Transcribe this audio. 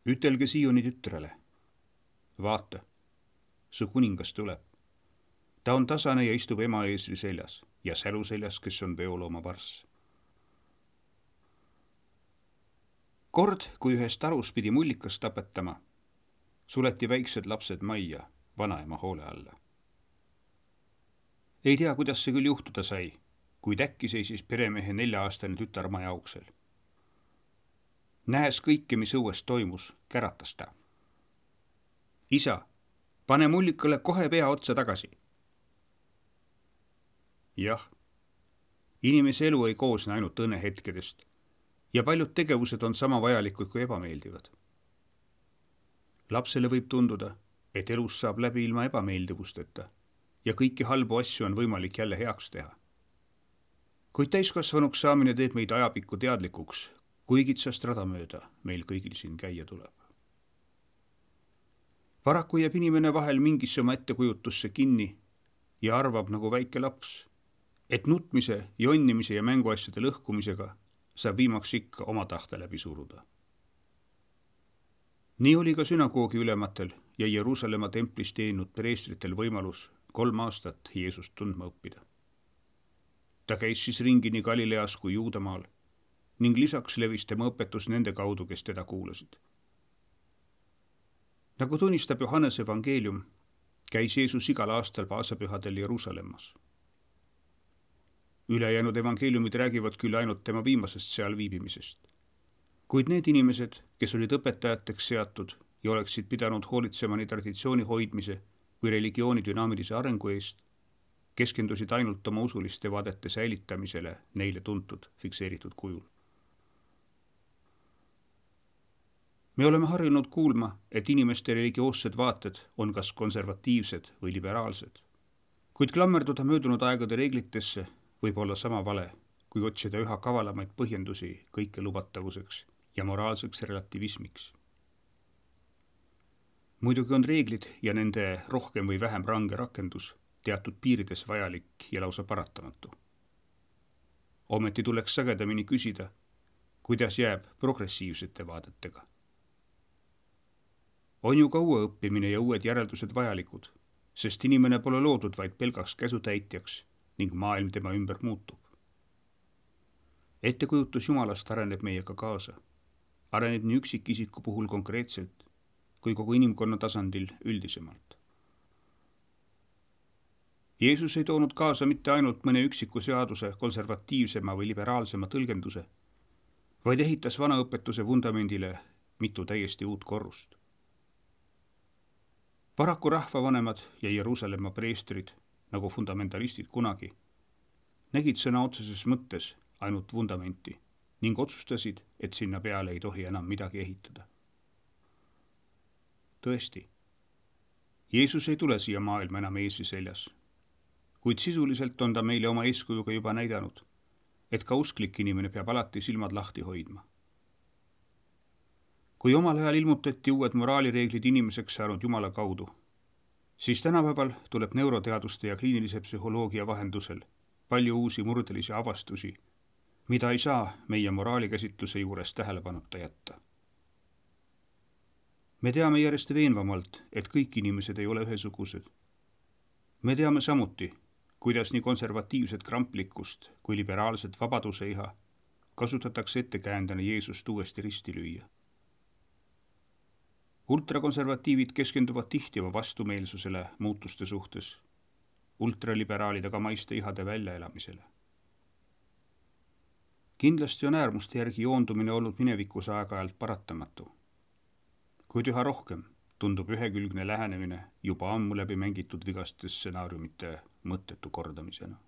Ütelge Sioni tütrele. Vaata, su kuningas tuleb. Ta on tasane ja istub ema eesri seljas ja sälu seljas, kes on veolooma varss. Kord, kui ühes tarus pidi mullikas tapetama, suleti väiksed lapsed majja vanaema hoole alla. Ei tea, kuidas see küll juhtuda sai, kuid äkki seisis peremehe 4-aastane tütar maja uksel. Nähes kõike, mis õues toimus, käratas ta. Isa, pane mullikale kohe pea otsa tagasi. Jah, inimese elu ei koosne ainult õnnehetkedest ja paljud tegevused on sama vajalikud kui ebameeldivad. Lapsele võib tunduda, et elus saab läbi ilma ebameeldivusteta ja kõiki halbu asju on võimalik jälle heaks teha. Kuid täiskasvanuks saamine teeb meid ajapikku teadlikuks, kui kitsast rada mööda meil kõigil siin käia tuleb. Paraku jääb inimene vahel mingisse oma ettekujutusse kinni ja arvab nagu väike laps, et nutmise, jonnimise ja mänguasjade lõhkumisega saab viimaks ikka oma tahte läbi suruda. Nii oli ka sünagoogi ülematel ja Jeruusalemma templis teeninud preestritel võimalus 3 aastat Jeesust tundma õppida. Ta käis siis ringi nii Galileas kui Juudamaal ning lisaks levis tema õpetus nende kaudu, kes teda kuulasid. Nagu tunnistab Johannese evangeelium, käis Jeesus igal aastal paasapühadel Jeruusalemmas. Ülejäänud evangeeliumid räägivad küll ainult tema viimasest seal viibimisest. Kuid need inimesed, kes olid õpetajateks seatud ja oleksid pidanud hoolitsema nii traditsiooni hoidmise kui religiooni dünaamilise arengu eest, keskendusid ainult oma usuliste vaadete säilitamisele neile tuntud fikseeritud kujul. Me oleme harjunud kuulma, et inimeste religioossed vaated on kas konservatiivsed või liberaalsed. Kuid klammerduda möödunud aegade reeglitesse võib olla sama vale, kui otsida üha kavalamaid põhjendusi kõike lubatavuseks ja moraalseks relativismiks. Muidugi on reeglid ja nende rohkem või vähem range rakendus teatud piirides vajalik ja lausa paratamatu. Ometi tuleks sagedamini küsida, kuidas jääb progressiivsete vaadetega. On ju ka uue õppimine ja uued järeldused vajalikud, sest inimene pole loodud vaid pelgaks käsutäitjaks ning maailm tema ümber muutub. Ettekujutus Jumalast areneb meiega kaasa. Areneb nii üksikisiku puhul konkreetselt kui kogu inimkonna tasandil üldisemalt. Jeesus ei toonud kaasa mitte ainult mõne üksiku seaduse konservatiivsema või liberaalsema tõlgenduse, vaid ehitas vana õpetuse vundamendile mitu täiesti uut korrust. Paraku rahvavanemad ja Jeruusalemma preestrid, nagu fundamentalistid kunagi, nägid sõna otseses mõttes ainult vundamenti ning otsustasid, et sinna peale ei tohi enam midagi ehitada. Tõesti, Jeesus ei tule siia maailma enam eesri seljas, kuid sisuliselt on ta meile oma eeskujuga juba näidanud, et ka usklik inimene peab alati silmad lahti hoidma. Kui omal ajal ilmutati uued moraalireeglid inimeseks saanud Jumala kaudu, siis tänapäeval tuleb neuroteaduste ja kliinilise psühholoogia vahendusel palju uusi murdelisi avastusi, mida ei saa meie moraalikäsitluse juures tähelepanuta jätta. Me teame järjest veenvamalt, et kõik inimesed ei ole ühesugused. Me teame samuti, kuidas nii konservatiivset kramplikkust kui liberaalset vabaduse iha kasutatakse ettekäändena Jeesust uuesti risti lüüa. Ultrakonservatiivid keskenduvad tihti oma vastumeelsusele muutuste suhtes, ultraliberaalid aga maiste ihade väljaelamisele. Kindlasti on äärmuste järgi joondumine olnud minevikus aeg-ajalt paratamatu, kuid üha rohkem tundub ühekülgne lähenemine juba ammu läbi mängitud vigaste stsenaariumite mõttetu kordamisena.